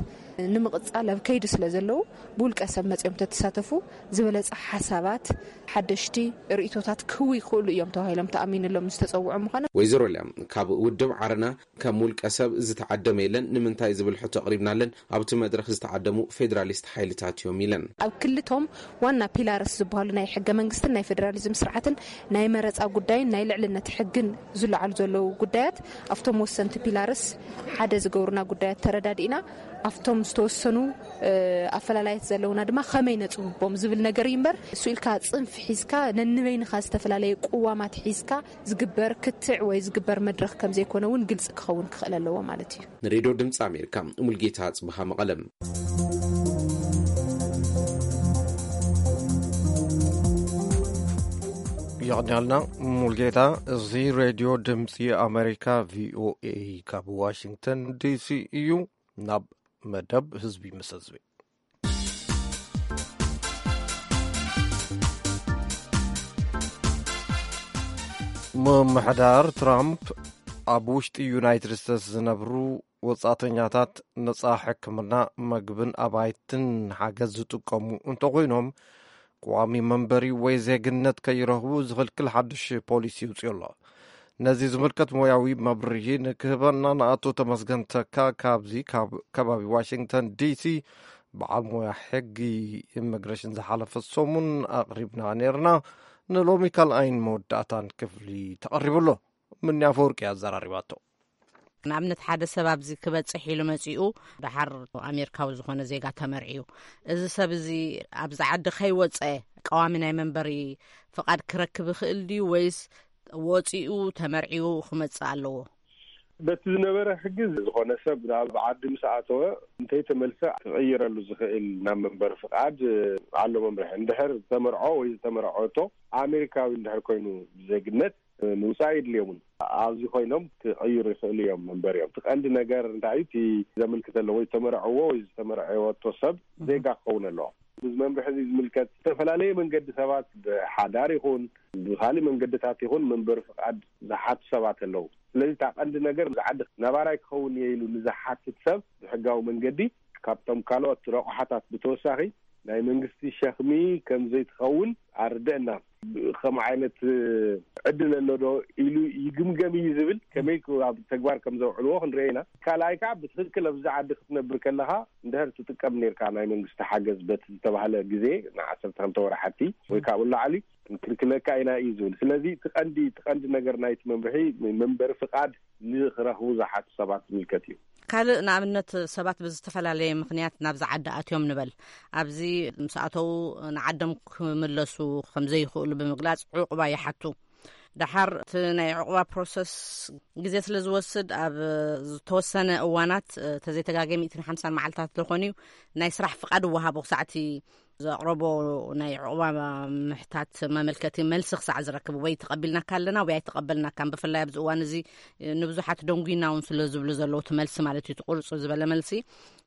ንምቕጻል ኣብ ከይዲ ስለ ዘለዉ፣ ብውልቀ ሰብ መጺኦም ተተሳተፉ ዝበለጸ ሓሳባት፣ ሓደሽቲ ርእይቶታት ክህቡ ይኽእሉ እዮም ተባሂሎም ተኣሚንሎም ዝተጸውዑ ምዃኖም። ወይዘሮ ሊያ ካብ ውድብ ዓረና ከም ውልቀ ሰብ ዝተዓደመ የለን፣ ንምንታይ ዝብል ሕቶ ኣቕሪብናለን፣ ኣብቲ መድረኽ ዝተዓደሙ ፌደራሊስት ሓይልታት እዮም ኢለን። ኣብ ክልቶም ዋና ፒላርስ ዝበሃሉ ናይ ሕገ መንግስትን ናይ ፌደራሊዝም ስርዓትን ናይ መረፃ ጉዳይን ናይ ልዕልነት ሕግን ዝለዓሉ ዘለዉ ጉዳያት ኣብቶም ወሰንቲ ፒላርስ ሓደ ዝገብሩና ጉዳያት ተረዳዲእና ኣብቶም ዝተወሰኑ ኣፈላላየት ዘለውና ድማ ከመይ ነፅብቦም ዝብል ነገር እዩ እምበር፣ እሱ ኢልካ ፅንፍ ሒዝካ ነንበይንኻ ዝተፈላለየ ቅዋማት ሒዝካ ዝግበር ክትዕ ወይ ዝግበር መድረኽ ከም ዘይኮነ እውን ግልፂ ክኸውን ክኽእል ኣለዎ ማለት እዩ። ንሬድዮ ድምፂ ኣሜሪካ፣ ሙልጌታ ጽብሃ፣ መቐለም። የቕንያልና ሙልጌታ። እዚ ሬድዮ ድምፂ ኣሜሪካ፣ ቪኦኤ፣ ካብ ዋሽንግተን ዲሲ እዩ። ናብ መደብ ህዝቢ ምስ ህዝቢ። ምምሕዳር ትራምፕ ኣብ ውሽጢ ዩናይትድ ስቴትስ ዝነብሩ ወጻእተኛታት ነጻ ሕክምና፣ መግብን ኣባይትን ሓገዝ ዝጥቀሙ እንተኾይኖም፣ ቀዋሚ መንበሪ ወይ ዜግነት ከይረኽቡ ዝኽልክል ሓድሽ ፖሊሲ ይውፅኡ ኣሎ። ነዚ ዝምልከት ሞያዊ መብርሂ ንክህበና ንኣቶ ተመስገን ተካ ካብዚ ካብ ከባቢ ዋሽንግተን ዲሲ በዓል ሞያ ሕጊ ኢሚግሬሽን ዝሓለፈ ሰሙን ኣቕሪብና ነይርና። ንሎሚ ካልኣይን መወዳእታን ክፍሊ ተቐሪቡ ኣሎ። ምንያ ኣፈወርቂ ኣዘራሪባቶ። ንኣብነት ሓደ ሰብ ኣብዚ ክበጽሕ ኢሉ መጺኡ፣ ደሓር ኣሜሪካዊ ዝኾነ ዜጋ ተመርዕዩ፣ እዚ ሰብ እዚ ኣብዚ ዓዲ ከይወጸ ቀዋሚ ናይ መንበሪ ፍቓድ ክረክብ ይኽእል ድዩ፣ ወይስ ወጺኡ ተመርዕዩ ክመጽእ ኣለዎ? በቲ ዝነበረ ሕጊ፣ ዝኾነ ሰብ ናብ ዓዲ ምስ ኣተወ፣ እንተይተመልሰ ክቕይረሉ ዝኽእል ናብ መንበሪ ፍቓድ ኣሎ መምርሒ። እንድሕር ዝተመርዖ ወይ ዝተመርዐቶ ኣሜሪካዊ እንድሕር ኮይኑ፣ ብዜግነት ምውፃእ የድልዮምን። ኣብዚ ኮይኖም ክቕይሩ ይኽእሉ እዮም መንበሪኦም። እቲ ቀንዲ ነገር እንታይ እዩ? እቲ ዘመልክት ኣለዎ፣ ዝተመርዐዎ ወይ ዝተመርዐወቶ ሰብ ዜጋ ክኸውን ኣለዎ። እዚ መምርሒ እዚ ዝምልከት ዝተፈላለየ መንገዲ ሰባት ብሓዳር ይኹን ብኻሊእ መንገድታት ይኹን መንበሪ ፍቓድ ዝሓቱ ሰባት ኣለዉ። ስለዚ እታ ቀንዲ ነገር፣ እዚ ዓዲ ነባራይ ክኸውን እየ ኢሉ ንዝሓትት ሰብ ብሕጋዊ መንገዲ ካብቶም ካልኦት ረቑሓታት ብተወሳኺ ናይ መንግስቲ ሸኽሚ ከም ዘይትኸውን ኣርደእና። ከምኡ ዓይነት ዕድል ኣሎ ዶ ኢሉ ይግምገም እዩ ዝብል፣ ከመይ ኣብ ተግባር ከም ዘውዕልዎ ክንርኢ ኢና። ካልኣይ ከዓ ብትኽክል ኣብዚ ዓዲ ክትነብር ከለኻ እንድሕር ትጥቀም ነርካ ናይ መንግስቲ ሓገዝ በቲ ዝተባህለ ግዜ ንዓሰርተ ክልተ ወርሓቲ ወይ ካብኡ ላዕሊ ክንክልክለካ ኢና እዩ ዝብል። ስለዚ እቲ ቀንዲ፣ እቲ ቀንዲ ነገር ናይቲ መምርሒ መንበሪ ፍቓድ ንክረኽቡ ዝሓቱ ሰባት ዝምልከት እዩ። ካልእ ንኣብነት ሰባት ብዝተፈላለየ ምኽንያት ናብዚ ዓዲ ኣትዮም ንበል። ኣብዚ ምስ ኣተዉ ንዓዶም ክምለሱ ከም ዘይኽእሉ ብምግላጽ ዕቑባ ይሓቱ። ደሓር እቲ ናይ ዕቑባ ፕሮሰስ ግዜ ስለ ዝወስድ ኣብ ዝተወሰነ እዋናት፣ ተዘይተጋገ ሚእትን ሓምሳን መዓልታት ዝኾን እዩ ናይ ስራሕ ፍቓድ እወሃቦ ክሳዕቲ ዘቕረቦ ናይ ዕቑባ ምሕታት መመልከቲ መልሲ ክሳዕ ዝረክብ ወይ ተቐቢልናካ ኣለና ወይ ኣይተቐበልናካን። ብፍላይ ኣብዚ እዋን እዚ ንብዙሓት ደንጉይና እውን ስለ ዝብሉ ዘለዉ እቲ መልሲ ማለት እዩ፣ እቲ ቁርጽ ዝበለ መልሲ።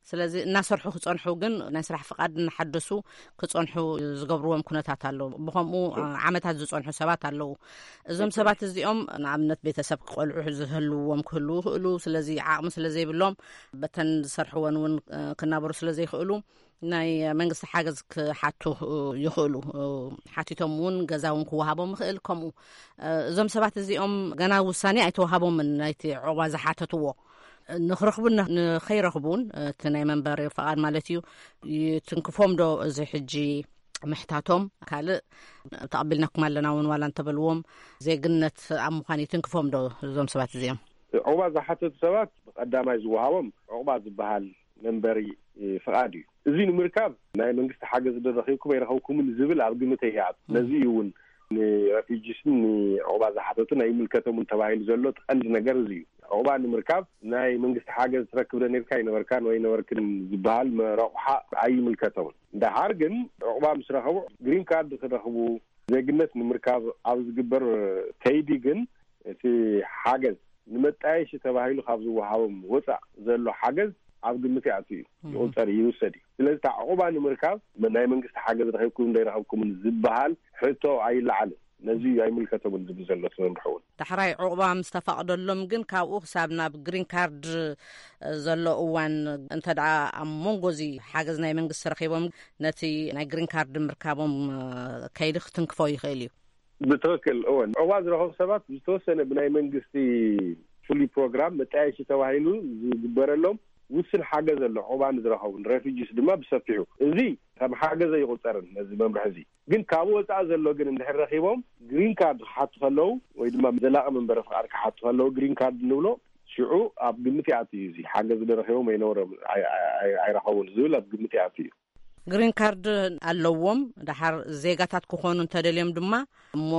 ስለዚ እናሰርሑ ክጸንሑ ግን ናይ ስራሕ ፍቓድ እናሓደሱ ክጸንሑ ዝገብርዎም ኩነታት ኣለዉ። ብኸምኡ ዓመታት ዝጸንሑ ሰባት ኣለዉ። እዞም ሰባት እዚኦም ንኣብነት ቤተሰብ ክቆልዑ ዝህልውዎም ክህልዉ ይኽእሉ። ስለዚ ዓቕሚ ስለ ዘይብሎም በተን ዝሰርሕወን እውን ክናበሩ ስለ ዘይኽእሉ ናይ መንግስቲ ሓገዝ ክሓቱ ይኽእሉ። ሓቲቶም እውን ገዛ እውን ክወሃቦም ይኽእል። ከምኡ እዞም ሰባት እዚኦም ገና ውሳኔ ኣይተዋሃቦምን ናይቲ ዕቑባ ዝሓተትዎ። ንኽረኽቡን ንኸይረኽቡን፣ እቲ ናይ መንበሪ ፍቓድ ማለት እዩ፣ ይትንክፎም ዶ እዚ ሕጂ ምሕታቶም? ካልእ፣ ተቐቢልናኩም ኣለና እውን ዋላ እንተበልዎም፣ ዜግነት ኣብ ምዃን ይትንክፎም ዶ እዞም ሰባት እዚኦም? ዑቕባ ዝሓተቱ ሰባት ብቐዳማይ ዝወሃቦም ዑቕባ ዝበሃል መንበሪ ፍቓድ እዩ። እዚ ንምርካብ ናይ መንግስቲ ሓገዝ ዶ ረኺብኩም ኣይረኸብኩምን ዝብል ኣብ ግምት እያ። ነዚ እዩ እውን ንረፊጂስን ንዑቕባ ዝሓተቱን ኣይምልከቶምን ተባሂሉ ዘሎ እቲ ቀንዲ ነገር እዚ እዩ። ዑቕባ ንምርካብ ናይ መንግስቲ ሓገዝ ትረክብ ዶ ነርካ ኣይነበርካን ወይ ነበርክን ዝበሃል መረቑሓ ኣይምልከቶምን። ደሓር ግን ዑቕባ ምስ ረኸቡ ግሪን ካርድ ክረኽቡ፣ ዜግነት ንምርካብ ኣብ ዝግበር ከይዲ ግን እቲ ሓገዝ ንመጣየሺ ተባሂሉ ካብ ዝወሃቦም ወፃእ ዘሎ ሓገዝ ኣብ ግምት ይኣቱ እዩ፣ ይቑፀር እዩ፣ ይውሰድ እዩ። ስለዚ እታ ዕቑባ ንምርካብ ናይ መንግስቲ ሓገዝ ረኺብኩም ዶ ኣይረኸብኩምን ዝበሃል ሕቶ ኣይለዓልን። ነዚ እዩ ኣይምልከቶምን ዝብል ዘሎ እቲ መምርሒ እውን። ዳሕራይ ዕቑባ ምስ ተፈቕደሎም ግን ካብኡ ክሳብ ናብ ግሪን ካርድ ዘሎ እዋን እንተ ደኣ ኣብ መንጎ እዚ ሓገዝ ናይ መንግስቲ ረኺቦም ነቲ ናይ ግሪን ካርድ ምርካቦም ከይዲ ክትንክፎ ይኽእል እዩ። ብትኽክል እወን። ዕቑባ ዝረኸቡ ሰባት ዝተወሰነ ብናይ መንግስቲ ፍሉይ ፕሮግራም መጣየሺ ተባሂሉ ዝግበረሎም ውስን ሓገዝ ኣሎ። ዕቑባ ንዝረኸቡ ንሬፊጂስ ድማ ብሰፊሑ። እዚ ከም ሓገዝ ኣይቑፀርን ነዚ መምርሒ እዚ። ግን ካብኡ ወፃኢ ዘሎ ግን እንድሕር ረኺቦም ግሪን ካርድ ክሓቱ ከለዉ ወይ ድማ ዘላቒ መንበሪ ፍቓድ ክሓቱ ከለዉ ግሪን ካርድ ንብሎ ሽዑ ኣብ ግምት ይኣቱ እዩ። እዚ ሓገዝ ዶ ረኺቦም ኣይነበሮም ኣይ- ኣይ- ኣይ- ኣይረኸቡን ዝብል ኣብ ግምት ይኣቱ እዩ። ግሪን ካርድ ኣለዎም። ደሓር ዜጋታት ክኾኑ እንተደልዮም ድማ እሞ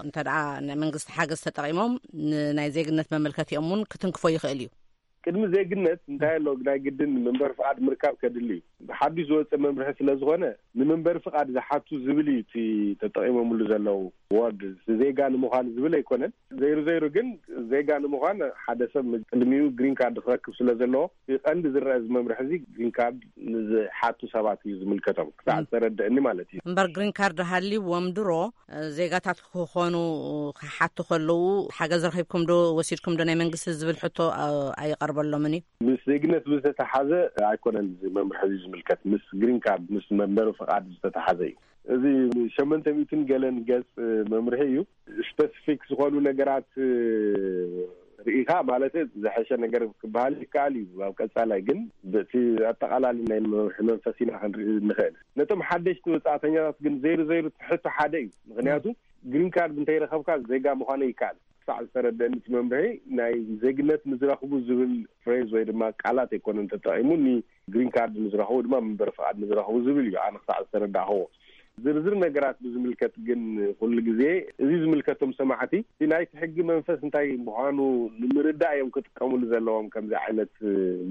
እንተ ደኣ ናይ መንግስቲ ሓገዝ ተጠቒሞም ንናይ ዜግነት መመልከቲኦም እውን ክትንክፎ ይኽእል እዩ። ቅድሚ ዜግነት እንታይ ኣሎ ናይ ግድን መንበሪ ፍቓድ ምርካብ ከድሊ እዩ። ብሓዱሽ ዝወፀ መምርሒ ስለ ዝኾነ ንመንበሪ ፍቓድ ዝሓቱ ዝብል እዩ እቲ ተጠቒሞምሉ ዘለዉ ወርድ። ዜጋ ንምዃን ዝብል ኣይኮነን። ዘይሩ ዘይሩ ግን ዜጋ ንምዃን ሓደ ሰብ ቅድሚኡ ግሪን ካርድ ክረክብ ስለ ዘለዎ እቲ ቀንዲ ዝረአ እዚ መምርሒ እዚ ግሪን ካርድ ንዝሓቱ ሰባት እዩ ዝምልከቶም ክሳዕ ዝተረድእኒ ማለት እዩ። እምበር ግሪን ካርድ ሃልይዎም ድሮ ዜጋታት ክኾኑ ክሓቱ ከለዉ ሓገዝ ረኺብኩም ዶ ወሲድኩም ዶ ናይ መንግስቲ ዝብል ሕቶ ኣይቐርበሎምን እዩ። ምስ ዜግነት ዝተተሓዘ ኣይኮነን እዚ መምርሒ እዚ ዝምልከት፣ ምስ ግሪን ካርድ ምስ መንበሪ ፍቓድ ዝተተሓዘ እዩ። እዚ ሸመንተ ሚእትን ገለን ገጽ መምርሒ እዩ። ስፐሲፊክ ዝኾኑ ነገራት ርኢኻ ማለት ዝሐሸ ነገር ክበሃል ይከኣል እዩ። ኣብ ቀጻላይ ግን በቲ ኣጠቓላሊ ናይ መምርሒ መንፈስ ኢና ክንርኢ ንኽእል። ነቶም ሓደሽቲ ወጻእተኛታት ግን ዘይሩ ዘይሩ ትሕቶ ሓደ እዩ። ምኽንያቱ ግሪን ካርድ እንተይረኸብካ ዜጋ ምዃነ ይከኣል። ክሳዕ ዝተረደእኒ እቲ መምርሒ ናይ ዜግነት ንዝረኽቡ ዝብል ፍሬዝ ወይ ድማ ቃላት ኣይኮነን ተጠቒሙ፣ ኒ ግሪን ካርድ ንዝረኽቡ ድማ መንበሪ ፍቓድ ንዝረኽቡ ዝብል እዩ። ኣነ ክሳዕ ዝተረዳእኽዎ ዝርዝር ነገራት ብዝምልከት ግን ኩሉ ግዜ እዚ ዝምልከቶም ሰማዕቲ እቲ ናይቲ ሕጊ መንፈስ እንታይ ምዃኑ ንምርዳእ እዮም ክጥቀሙሉ ዘለዎም ከምዚ ዓይነት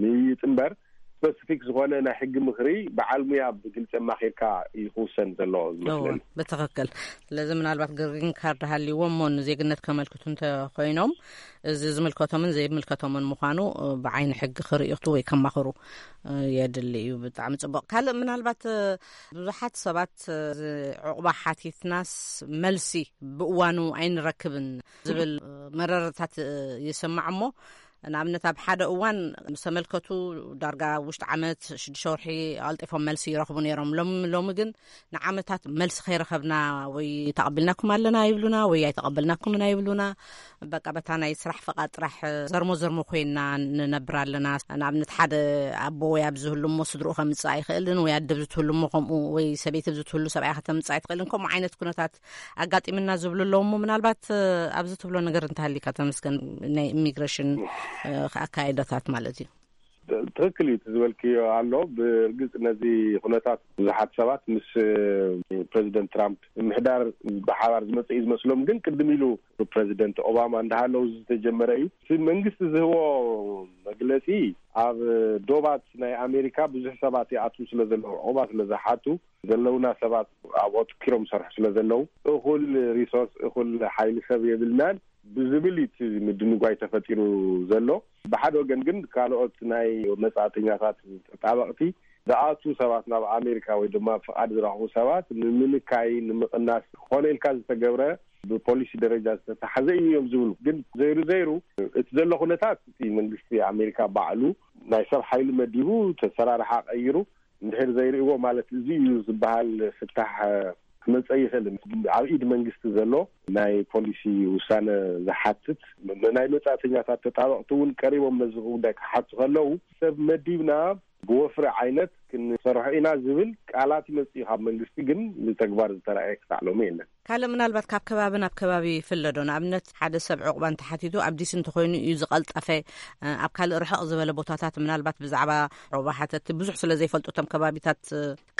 ምይይጥ እምበር ስፐሲፊክ ዝኾነ ናይ ሕጊ ምኽሪ በዓል ሙያ ብግልፂ ኣማኺርካ እዩ ክውሰን ዘለዎ ዝመስለኒ። ብትኽክል። ስለዚ ምናልባት ግሪን ካርድ ሃልይዎም እሞ ንዜግነት ከመልክቱ እንተኮይኖም እዚ ዝምልከቶምን ዘይምልከቶምን ምዃኑ ብዓይኒ ሕጊ ክርእዩ ወይ ከማኽሩ የድሊ እዩ። ብጣዕሚ ፅቡቕ። ካልእ ምናልባት ብዙሓት ሰባት ዕቑባ ሓቲትናስ መልሲ ብእዋኑ ኣይንረክብን ዝብል መረረታት ይስማዕ እሞ ንኣብነት ኣብ ሓደ እዋን ምስ ተመልከቱ ዳርጋ ውሽጢ ዓመት ሽዱሽተ ወርሒ ኣልጢፎም መልሲ ይረኽቡ ነይሮም። ሎም- ሎሚ ግን ንዓመታት መልሲ ከይረኸብና ወይ ተቐቢልናኩም ኣለና ይብሉና ወይ ኣይተቐበልናኩምን ኣይብሉና። በቃ በታ ናይ ስራሕ ፈቓድ ጥራሕ ዘርሞ ዘርሞ ኮይና ንነብር ኣለና። ንኣብነት ሓደ ኣቦ ወይ ኣብ ዝህሉ እሞ ስድርኡ ከምፅእ ኣይኽእልን ወይ ኣደብ ዝትህሉ እሞ ከምኡ ወይ ሰበይቲ ዝትህሉ ሰብኣይ ከተምፅእ ኣይትኽእልን። ከምኡ ዓይነት ኩነታት ኣጋጢምና ዝብሉ ኣለዉ እሞ ምናልባት ኣብዚ ትብሎ ነገር እንተሃሊካ ተመስገን ናይ ኢሚግሬሽን ኣካይዳታት ማለት እዩ። ትኽክል እዩ ዝበልክዮ ኣሎ። ብእርግፅ ነዚ ኩነታት ብዙሓት ሰባት ምስ ፕሬዚደንት ትራምፕ ምሕዳር ብሓባር ዝመፀ እዩ ዝመስሎም። ግን ቅድም ኢሉ ፕሬዚደንት ኦባማ እንዳሃለው ዝተጀመረ እዩ። እቲ መንግስቲ ዝህቦ መግለፂ ኣብ ዶባት ናይ ኣሜሪካ ብዙሕ ሰባት ይኣትዉ ስለ ዘለዉ ዕቑባ ስለ ዝሓቱ ዘለውና ሰባት ኣብኡ ትኪሮም ይሰርሑ ስለ ዘለዉ እኹል ሪሶርስ እኹል ሓይሊ ሰብ የብልናን ብዝብል እዩ እቲ ምድንጓይ ተፈጢሩ ዘሎ። ብሓደ ወገን ግን ካልኦት ናይ መጻእተኛታት ተጣበቕቲ ዝኣቱ ሰባት ናብ ኣሜሪካ ወይ ድማ ፍቓድ ዝረኽቡ ሰባት ንምንካይ ንምቕናስ ክኾነ ኢልካ ዝተገብረ ብፖሊሲ ደረጃ ዝተተሓዘ እዩ እዮም ዝብሉ። ግን ዘይሩ ዘይሩ እቲ ዘሎ ኩነታት እቲ መንግስቲ ኣሜሪካ ባዕሉ ናይ ሰብ ሓይሊ መዲቡ ተሰራርሓ ቀይሩ እንድሕር ዘይርእዎ ማለት እዚ እዩ ዝበሃል ፍታሕ ክመጸ ይኽእል። ኣብ ኢድ መንግስቲ ዘሎ ናይ ፖሊሲ ውሳነ ዝሓትት፣ ናይ መጻእተኛታት ተጣበቕቲ እውን ቀሪቦም ነዚ ጉዳይ ክሓቱ ከለዉ፣ ሰብ መዲብና ብወፍሪ ዓይነት ክንሰርሖ ኢና ዝብል ቃላት ይመጽእ እዩ ካብ መንግስቲ፣ ግን ብተግባር ዝተረኣየ ክሳዕ ሎሚ የለን። ካልእ ምናልባት ካብ ከባቢ ናብ ከባቢ ይፍለ ዶ? ንኣብነት ሓደ ሰብ ዕቑባ እንተሓቲቱ ኣብ ዲሲ እንተኾይኑ እዩ ዝቐልጠፈ። ኣብ ካልእ ርሕቕ ዝበለ ቦታታት ምናልባት ብዛዕባ ዑቕባ ሓተቲ ብዙሕ ስለ ዘይፈልጡ እቶም ከባቢታት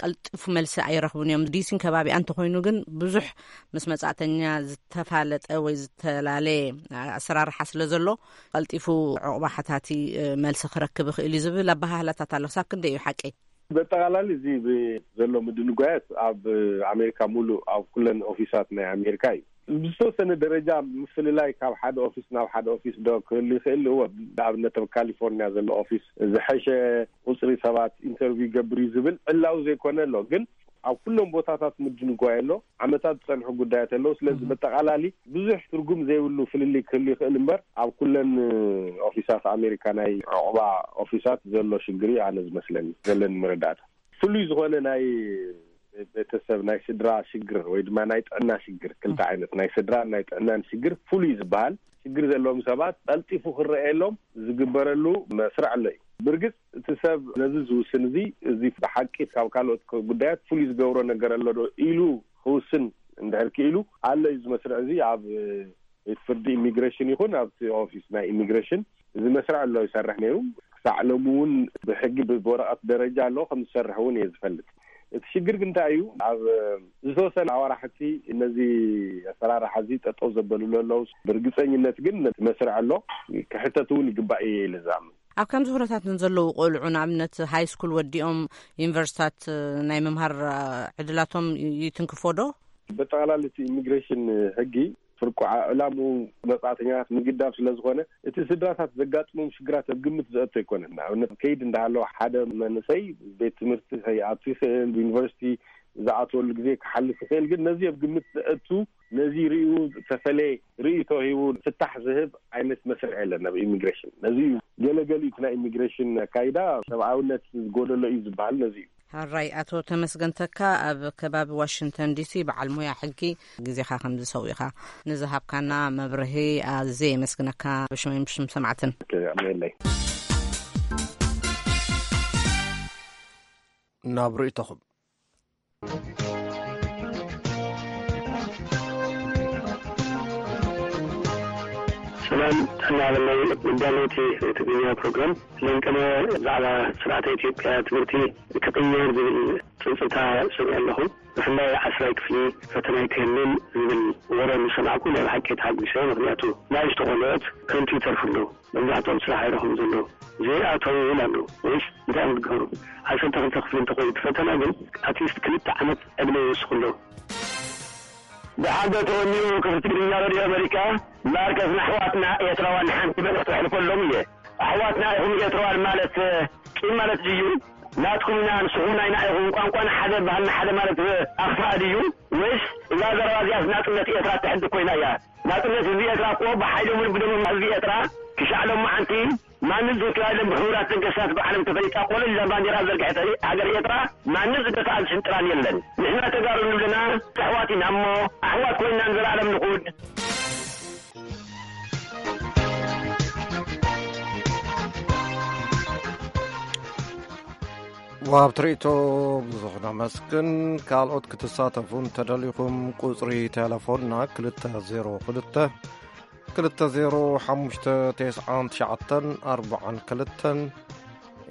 ቀልጢፉ መልሲ ኣይረኽቡን እዮም። ዲሲን ከባቢኣ እንተኾይኑ ግን ብዙሕ ምስ መጻእተኛ ዝተፋለጠ ወይ ዝተፈላለየ ኣሰራርሓ ስለ ዘሎ ቀልጢፉ ዕቑባ ሓታቲ መልሲ ክረክብ ይኽእል እዩ ዝብል ኣበሃህላታት ኣሎ። ክሳብ ክንደይ እዩ ሓቂ? በጠቓላሊ እዚ ብ-፣ ዘሎ ምድንጓያት ኣብ ኣሜሪካ ሙሉእ ኣብ ኩለን ኦፊሳት ናይ ኣሜሪካ እዩ። ብዝተወሰነ ደረጃ ምፍልላይ ካብ ሓደ ኦፊስ ናብ ሓደ ኦፊስ ዶ ክህሉ ይኽእል? እወ፣ ንኣብነት ኣብ ካሊፎርኒያ ዘሎ ኦፊስ ዝሐሸ ቁፅሪ ሰባት ኢንተርቪው ይገብር እዩ ዝብል ዕላዊ ዘይኮነ ኣሎ። ግን ኣብ ኩሎም ቦታታት ምድንጓይ ኣሎ። ዓመታት ዝፀንሑ ጉዳያት ኣለዉ። ስለዚ በጠቓላሊ ብዙሕ ትርጉም ዘይብሉ ፍልልይ ክህሉ ይኽእል እምበር ኣብ ኩለን ኦፊሳት ኣሜሪካ ናይ ዕቑባ ኦፊሳት ዘሎ ሽግር እዩ ኣነ ዝመስለኒ፣ ዘለኒ መረዳእታ። ፍሉይ ዝኾነ ናይ ቤተሰብ ናይ ስድራ ሽግር ወይ ድማ ናይ ጥዕና ሽግር፣ ክልተ ዓይነት ናይ ስድራን ናይ ጥዕናን ሽግር ፍሉይ ዝበሃል ሽግር ዘለዎም ሰባት ቀልጢፉ ክረኣየሎም ዝግበረሉ መስርዕ ኣሎ እዩ። ብርግጽ እቲ ሰብ ነዚ ዝውስን እዚ፣ እዚ ብሓቂ ካብ ካልኦት ጉዳያት ፍሉይ ዝገብሮ ነገር ኣሎ ዶ ኢሉ ክውስን እንድሕር ክኢሉ ኣሎ እዩ። እዚ መስርዕ እዚ ኣብ ቤት ፍርዲ ኢሚግሬሽን ይኹን ኣብቲ ኦፊስ ናይ ኢሚግሬሽን እዚ መስርዕ ኣሎ ይሰርሕ ነይሩ። ክሳዕ ሎሚ እውን ብሕጊ ብ-፣ ብወረቐት ደረጃ ኣሎ ከም ዝሰርሕ እውን እየ ዝፈልጥ። እቲ ሽግር ግን እንታይ እዩ? ኣብ ዝተወሰነ ኣዋራሕቲ ነዚ ኣሰራርሓ እዚ ጠጠው ዘበልሉ ኣለዉ። ብርግፀኝነት ግን ነቲ መስርዕ ኣሎ ክሕተት እውን ይግባእ እየ ኢለ ዝኣምን። ኣብ ከምዚ ኩነታት ንዘለዉ ቆልዑ ንኣብነት ሃይ ስኩል ወዲኦም ዩኒቨርሲታት ናይ ምምሃር ዕድላቶም ይትንክፎ ዶ? በጠቓላሊ እቲ ኢሚግሬሽን ሕጊ ፍርቁ ዕላምኡ መጻእተኛታት ምግዳፍ ስለ ዝኾነ፣ እቲ ስድራታት ዘጋጥሞም ሽግራት ኣብ ግምት ዘእቶ ኣይኮነን። ንኣብነት፣ ከይድ እንዳሃለወ ሓደ መንእሰይ ቤት ትምህርቲ ከይኣቱ ይኽእል፣ ዩኒቨርሲቲ ዝኣትወሉ ግዜ ክሓልፍ ይኽእል። ግን ነዚ ኣብ ግምት ዘእቱ፣ ነዚ ርእዩ ዝተፈለየ ርእይቶ ሂቡ ፍታሕ ዝህብ ዓይነት መስርዕ የለን ኣብ ኢሚግሬሽን። ነዚ እዩ ገለገሊኡ እቲ ናይ ኢሚግሬሽን ኣካይዳ ሰብኣውነት ዝጎደሎ እዩ ዝበሃል ነዚ እዩ። ሕራይ ኣቶ ተመስገን ተካ ኣብ ከባቢ ዋሽንግተን ዲሲ በዓል ሞያ ሕጊ ግዜኻ ከም ዝሰውኢኻ ንዝሃብካና መብርሂ ኣዝየ የመስግነካ ብሽመይን ብሽም ሰማዕትን። ኣሜለይ። ናብ ርእይቶኹም። ሰላም ጥዕና በላይ መዳለይቲ ትግርኛ ፕሮግራም። ለንቅነ ብዛዕባ ስርዓተ ኢትዮጵያ ትምህርቲ ክቕየር ዝብል ጽብጽታ ሰሚዐ ኣለኹ። ብፍላይ ዓስራይ ክፍሊ ፈተና ኣይክህልን ዝብል ወረ ምስ ሰማዕኩ ናይ ብሓቂ ተሓጒሰ። ምኽንያቱ ንኣሽቱ ቆልዑት ከንቱ ይተርፉ ኣለዉ። መብዛሕትኦም ስራሕ ኣይረኽቡን ዘለዉ። ዘይኣተዉ እውን ኣለዉ። ወይስ እንታይ እዮም ዝገብሩ? ዓሰርተ ክልተ ክፍሊ እንተኾይኑ እቲ ፈተና ግን ኣትሊስት ክልተ ዓመት ዕድመ ይወስኹ ኣለዉ። ብሓደ ተወኒኡ ክፍቲ ትግርኛ ሬድዮ ኣመሪካ፣ ማርከስ ንኣሕዋትና ኤርትራውያን ሓንቲ መልእኽቲ ከሕልፈሎም እየ። ኣሕዋትና ኢኹም ኤርትራውያን ማለት ቂም ማለት ድዩ? ናትኩም ኢና ንስኹም ናይና ኢኹም፣ ቋንቋና ሓደ ባህልና ሓደ ማለት ኣኽፋእ ድዩ? ወይስ እዛ ዘረባ እዚኣስ ናጽነት ኤርትራ እትሕድግ ኮይና እያ? ናጽነት ህዝቢ ኤርትራ እኮ ብሓይሎምን ብደሞም ህዝቢ ኤርትራ ክሻዕ ሎማዓንቲ ማንም ዘይከላሎም ብሕቡራት ነገስታት ብዓለም ተፈሊጣ ኮለል ኢላ ባንዴራ ዘርግሐት ሃገር ኤርትራ ማንም ዝደፍኣን ዝሽንጥራን የለን። ንሕና ተጋሩ ንብለና ኣሕዋት ኢና እሞ ኣሕዋት ኮይንና ንዘለኣለም ንኹን። ወሃብቲ ርእይቶ ብዙሕ ነመስግን። ካልኦት ክትሳተፉ እንተደሊኹም ቁጽሪ ቴሌፎንና ክልተ ዜሮ ክልተ፣ ክልተ ዜሮ ሓሙሽተ፣ ተስዓን ትሽዓተን ኣርባዓን ክልተን፣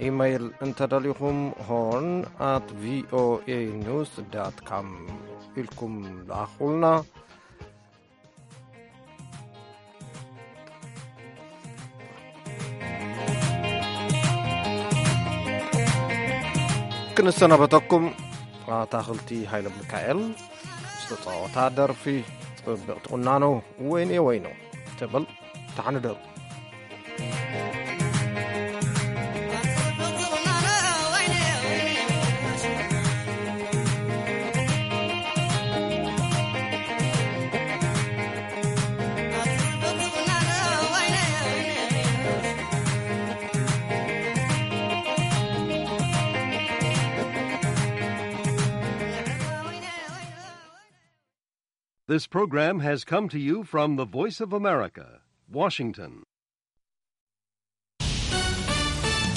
ኢመይል እንተደሊኹም ሆርን ኣት ቪኦኤ ኒውስ ዳት ካም ኢልኩም ለኣኹልና። ክንሰናበተኩም ኣታኽልቲ ሃይለ ሚካኤል ዝተጻወታ ደርፊ ጽብቕቲ ቁናኖ ወይኔ ወይኖ ትብል ተሓንደሩ። This program has come to you from the Voice of America, Washington.